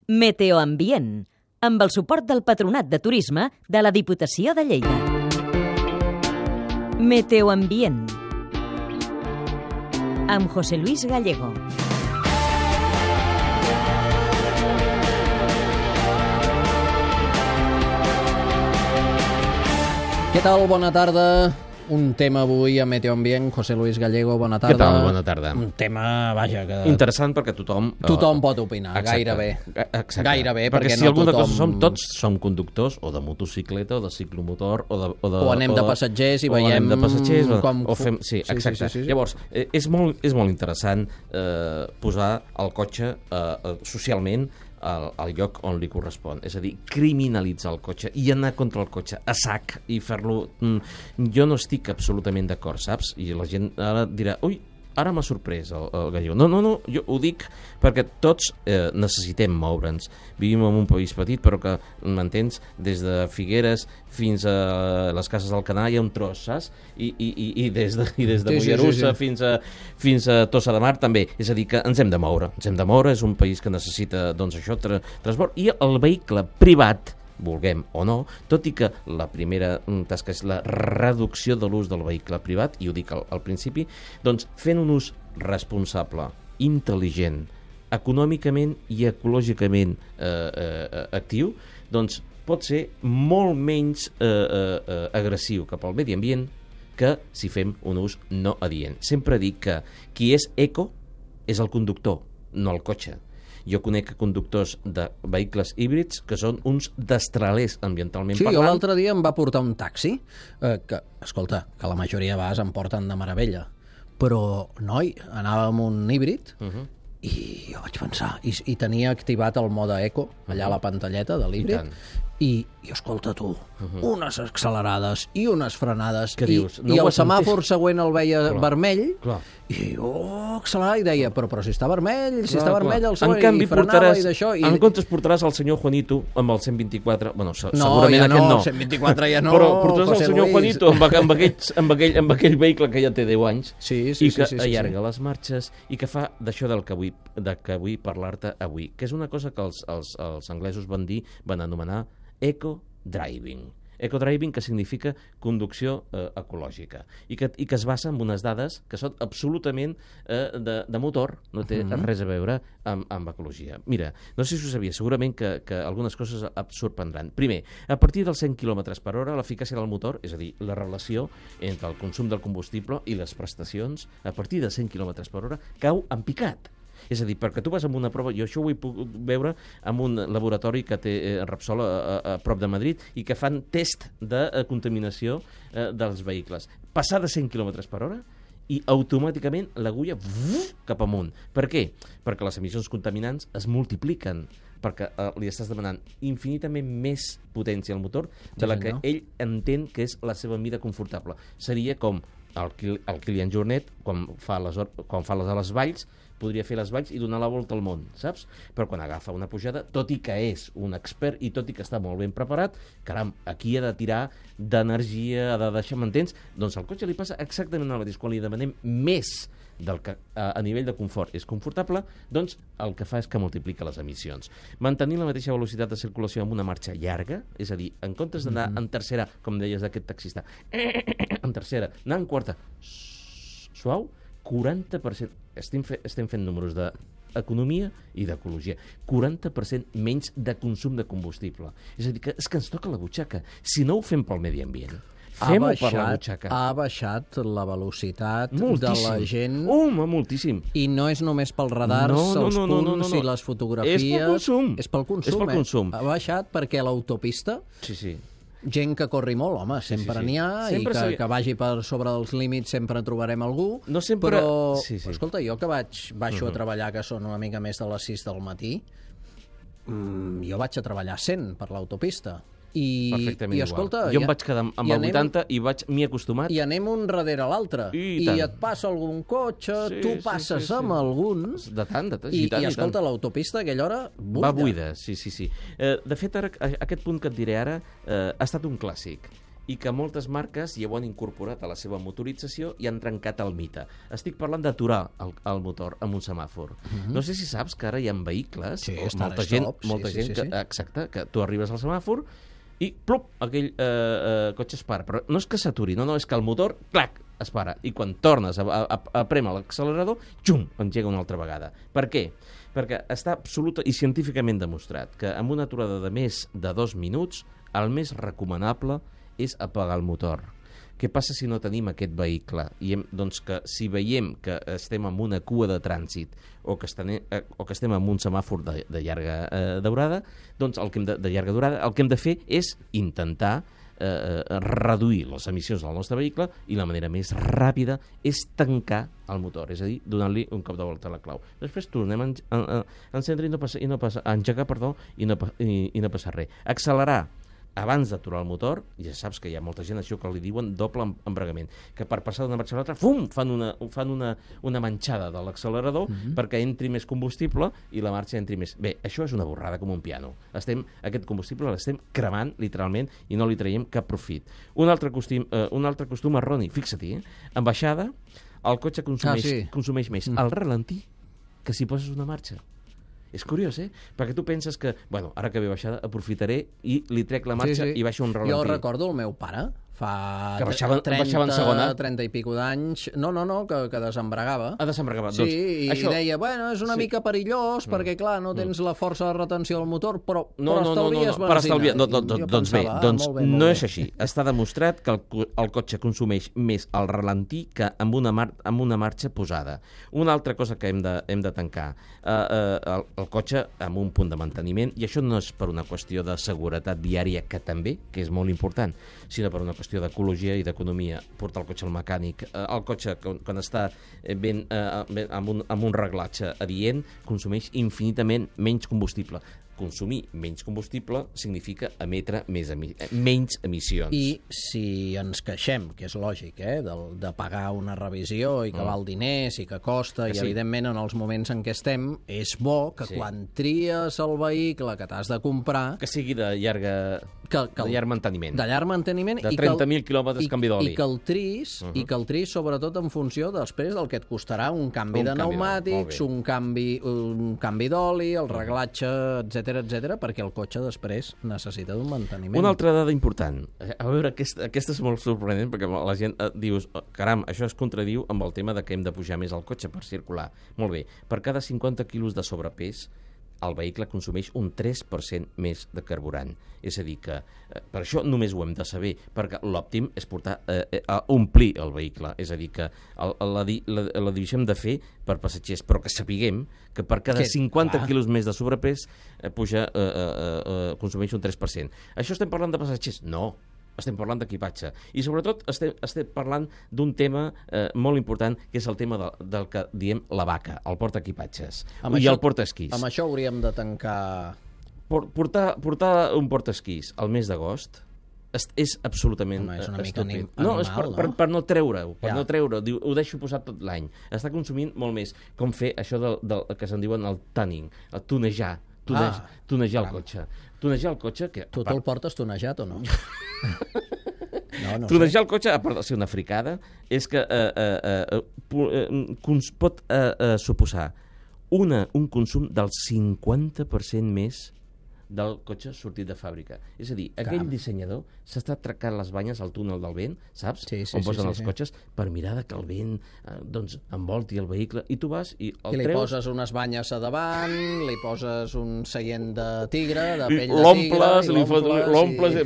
Meteoambient, amb el suport del Patronat de Turisme de la Diputació de Lleida. Meteoambient, amb José Luis Gallego. Què tal? Bona tarda. Un tema avui a Meteoambient. José Luis Gallego, bona tarda. Què tal? Bona tarda. Un tema, vaja, que... Interessant perquè tothom pot opinar, exacte, gairebé. Exacte. Gairebé, perquè no si alguna tothom... cosa tots som conductors, o de motocicleta, o de ciclomotor, o anem de passatgers i veiem... O anem de passatgers, com... o fem... Sí, exacte. Sí. Llavors, és molt interessant posar el cotxe socialment al lloc on li correspon, és a dir, criminalitzar el cotxe i anar contra el cotxe a sac i fer-lo... Jo no estic absolutament d'acord, saps? I la gent ara dirà, ui, ara m'ha sorprès el Gallego. No, jo ho dic perquè tots necessitem moure'ns. Vivim en un país petit, però que, m'entens, des de Figueres fins a les Cases d'Alcanar hi ha un tros, saps? I des de Mollerussa fins a Tossa de Mar també. És a dir, que ens hem de moure. És un país que necessita, doncs, això, transport. I el vehicle privat, vulguem o no, tot i que la primera tasca és la reducció de l'ús del vehicle privat, i ho dic al principi, doncs fent un ús responsable, intel·ligent, econòmicament i ecològicament actiu, doncs pot ser molt menys agressiu cap al medi ambient que si fem un ús no adient. Sempre dic que qui és eco és el conductor, no el cotxe. Jo conec conductors de vehicles híbrids que són uns destralers ambientalment parlant. Sí, jo l'altre dia em va portar un taxi, que, escolta, que la majoria de vegades em porten de meravella, però, noi, anava amb un híbrid i jo vaig pensar, i tenia activat el mode eco, allà a la pantalleta de l'híbrid, i escolta tu, unes accelerades i unes frenades, i el semàfor següent el veia vermell, i accelerar i deia, però si està vermell, el següent, i frenava i d'això. En comptes portaràs el senyor Juanito amb el 124, bueno, ja segurament aquest no. 124 ja no, però portaràs el senyor Juanito amb aquell vehicle que ja té 10 anys i que allarga les marxes i que fa d'això del que vull parlar-te avui, que és una cosa que els anglesos van anomenar eco-driving. Eco-driving, que significa conducció ecològica i que es basa en unes dades que són absolutament de motor, no té res a veure amb ecologia. Mira, no sé si ho sabia, segurament que algunes coses et sorprendran. Primer, a partir dels 100 km per hora, l'eficàcia del motor, és a dir, la relació entre el consum del combustible i les prestacions, a partir de 100 km per hora, cau en picat. És a dir, perquè tu vas amb una prova, jo això ho he pogut veure en un laboratori que té Repsol a prop de Madrid i que fan test de contaminació dels vehicles. Passar de 100 km per hora i automàticament l'agulla cap amunt. Per què? Perquè les emissions contaminants es multipliquen, perquè li estàs demanant infinitament més potència al motor de la que ell entén que és la seva mida confortable. Seria com el Kilian Jornet, quan fa les valls, podria fer les valls i donar la volta al món, saps? Però quan agafa una pujada, tot i que és un expert i tot i que està molt ben preparat, caram, aquí ha de tirar d'energia, ha de deixar, m'entens? Doncs al cotxe li passa exactament el mateix. Quan li demanem més del que a nivell de confort és confortable, doncs el que fa és que multiplica les emissions. Mantenir la mateixa velocitat de circulació amb una marxa llarga, és a dir, en comptes d'anar en tercera, com deies d'aquest taxista, en tercera, anar en quarta, suau, 40%, estem fent números d'economia i d'ecologia, 40% menys de consum de combustible. És a dir, que és que ens toca la butxaca. Si no ho fem pel medi ambient, fem-ho per la butxaca. Ha baixat la velocitat de la gent. Moltíssim. I no és només pels radars, els punts i les fotografies. És pel consum. És pel consum. Ha baixat perquè l'autopista... Sí. Gent que corri molt, home, sempre n'hi ha, i que vagi per sobre dels límits sempre trobarem algú, però escolta, jo que baixo a treballar, que són una mica més de les 6 del matí, jo vaig a treballar a 100 per l'autopista. Perfectament escolta, igual. Jo em vaig quedar amb el 80 i m'hi he acostumat. I anem un darrere l'altre. I et passa algun cotxe, tu passes amb algun... I escolta, l'autopista a aquella hora buida. Va buida, sí. De fet, ara, aquest punt que et diré ara ha estat un clàssic. i que moltes marques hi ho han incorporat a la seva motorització i han trencat el mite. Estic parlant d'aturar el motor amb un semàfor. No sé si saps que ara hi ha vehicles, molta gent, exacte, que tu arribes al semàfor i plup, aquell cotxe es para. Però no és que s'aturi, no, és que el motor, clac, es para. I quan tornes a prémer l'accelerador, xum, engega una altra vegada. Per què? Perquè està absoluta i científicament demostrat que amb una aturada de més de 2 minuts el més recomanable és apagar el motor. Què passa si no tenim aquest vehicle? Doncs que si veiem que estem en una cua de trànsit o que estem en un semàfor de llarga durada, doncs el que hem de fer és intentar reduir les emissions del nostre vehicle i la manera més ràpida és tancar el motor, és a dir, donant-li un cop de volta a la clau. Després tornem a encendre a engegar, i no passa res. Accelerar abans d'aturar el motor, ja saps que hi ha molta gent això que li diuen doble embragament, que per passar d'una marxa a l'altra, fan una manxada de l'accelerador perquè entri més combustible i la marxa entri més. Bé, això és una borrada com un piano. Aquest combustible l'estem cremant, literalment, i no li traiem cap profit. Un altre costum erroni, fixa-t'hi, en baixada, el cotxe consumeix més al ralentí que si poses una marxa. És curiós, Perquè tu penses que, ara que ve baixada, aprofitaré i li trec la marxa i baixo un ralentí. Jo recordo el meu pare, fa 30 i pico d'anys, que desembregava. Desembregava. Sí, i deia, és una mica perillós, perquè, clar, no tens la força de retenció del motor, però estalvies benzina. Doncs bé, no és així. Està demostrat que el cotxe consumeix més al ralentí que amb una marxa posada. Una altra cosa que hem de tancar, el cotxe amb un punt de manteniment, i això no és per una qüestió de seguretat viària, que també, que és molt important, sinó per una qüestió d'ecologia i d'economia. Portar el cotxe al mecànic. El cotxe, quan està amb un reglatge adient, consumeix infinitament menys combustible. Consumir menys combustible significa emetre menys emissions. I si ens queixem, que és lògic, de pagar una revisió i que val diners i que costa, i evidentment en els moments en què estem, és bo que quan tries el vehicle que t'has de comprar... Que sigui de llarg manteniment. De llarg manteniment. De 30.000 quilòmetres canvi d'oli. I que el tris sobretot en funció després del que et costarà un canvi de pneumàtics, un canvi d'oli, el reglatge, etc, perquè el cotxe després necessita d'un manteniment. Una altra dada important. A veure, aquesta és molt sorprenent, perquè la gent dius, caram, això es contradiu amb el tema de que hem de pujar més al cotxe per circular. Molt bé, per cada 50 quilos de sobrepès, el vehicle consumeix un 3% més de carburant. És a dir que, per això només ho hem de saber, perquè l'òptim és omplir el vehicle. És a dir que la divisió hem de fer per passatgers, però que sapiguem que per cada 50 quilos més de sobrepès consumeix un 3%. Això estem parlant de passatgers? No. Estem parlant d'equipatge. I sobretot estem parlant d'un tema molt important, que és el tema del que diem la vaca, el portaequipatges i el portaesquís. Amb això hauríem de tancar... Portar un portaesquís al mes d'agost és absolutament estúpid. No, és per no treure-ho. Ho deixo posat tot l'any. Està consumint molt més. Com fer això del que se'n diuen el tuning, el tunejar el cotxe. Tunejar el cotxe... Tu te'l portes tunejat o no? Tunejar el cotxe, a part de ser una fricada, és que pot suposar un consum del 50% més del cotxe sortit de fàbrica. És a dir, aquell dissenyador s'està tracant les banyes al túnel del vent, saps? On posen els cotxes, per mirar que el vent envolti el vehicle, i tu vas i el treus... I li poses unes banyes a davant, li poses un seient de tigre, de pell de tigre... L'omples...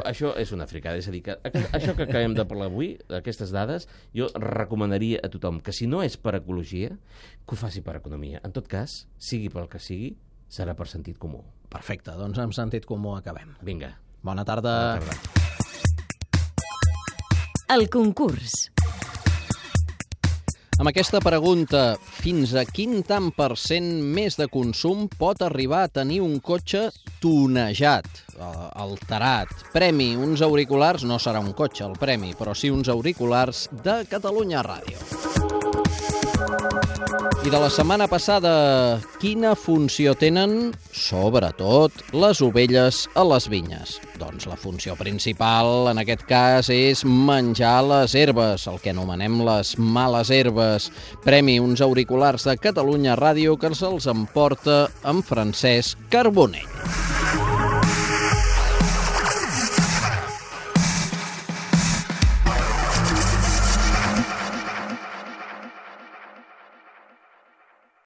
Això és una fricada. És a dir, que això que acabem de parlar avui, aquestes dades, jo recomanaria a tothom que si no és per ecologia, que ho faci per economia. En tot cas, sigui pel que sigui, serà per sentit comú. Perfecte, doncs amb sentit comú acabem. Vinga. Bona tarda. El concurs. Amb aquesta pregunta, fins a quin tant per cent més de consum pot arribar a tenir un cotxe tunejat, alterat? Premi, uns auriculars, no serà un cotxe el premi, però sí uns auriculars de Catalunya Ràdio. I de la setmana passada, quina funció tenen, sobretot, les ovelles a les vinyes? Doncs la funció principal, en aquest cas, és menjar les herbes, el que anomenem les males herbes. Premi uns auriculars de Catalunya Ràdio que se'ls emporta en Francesc Carbonell.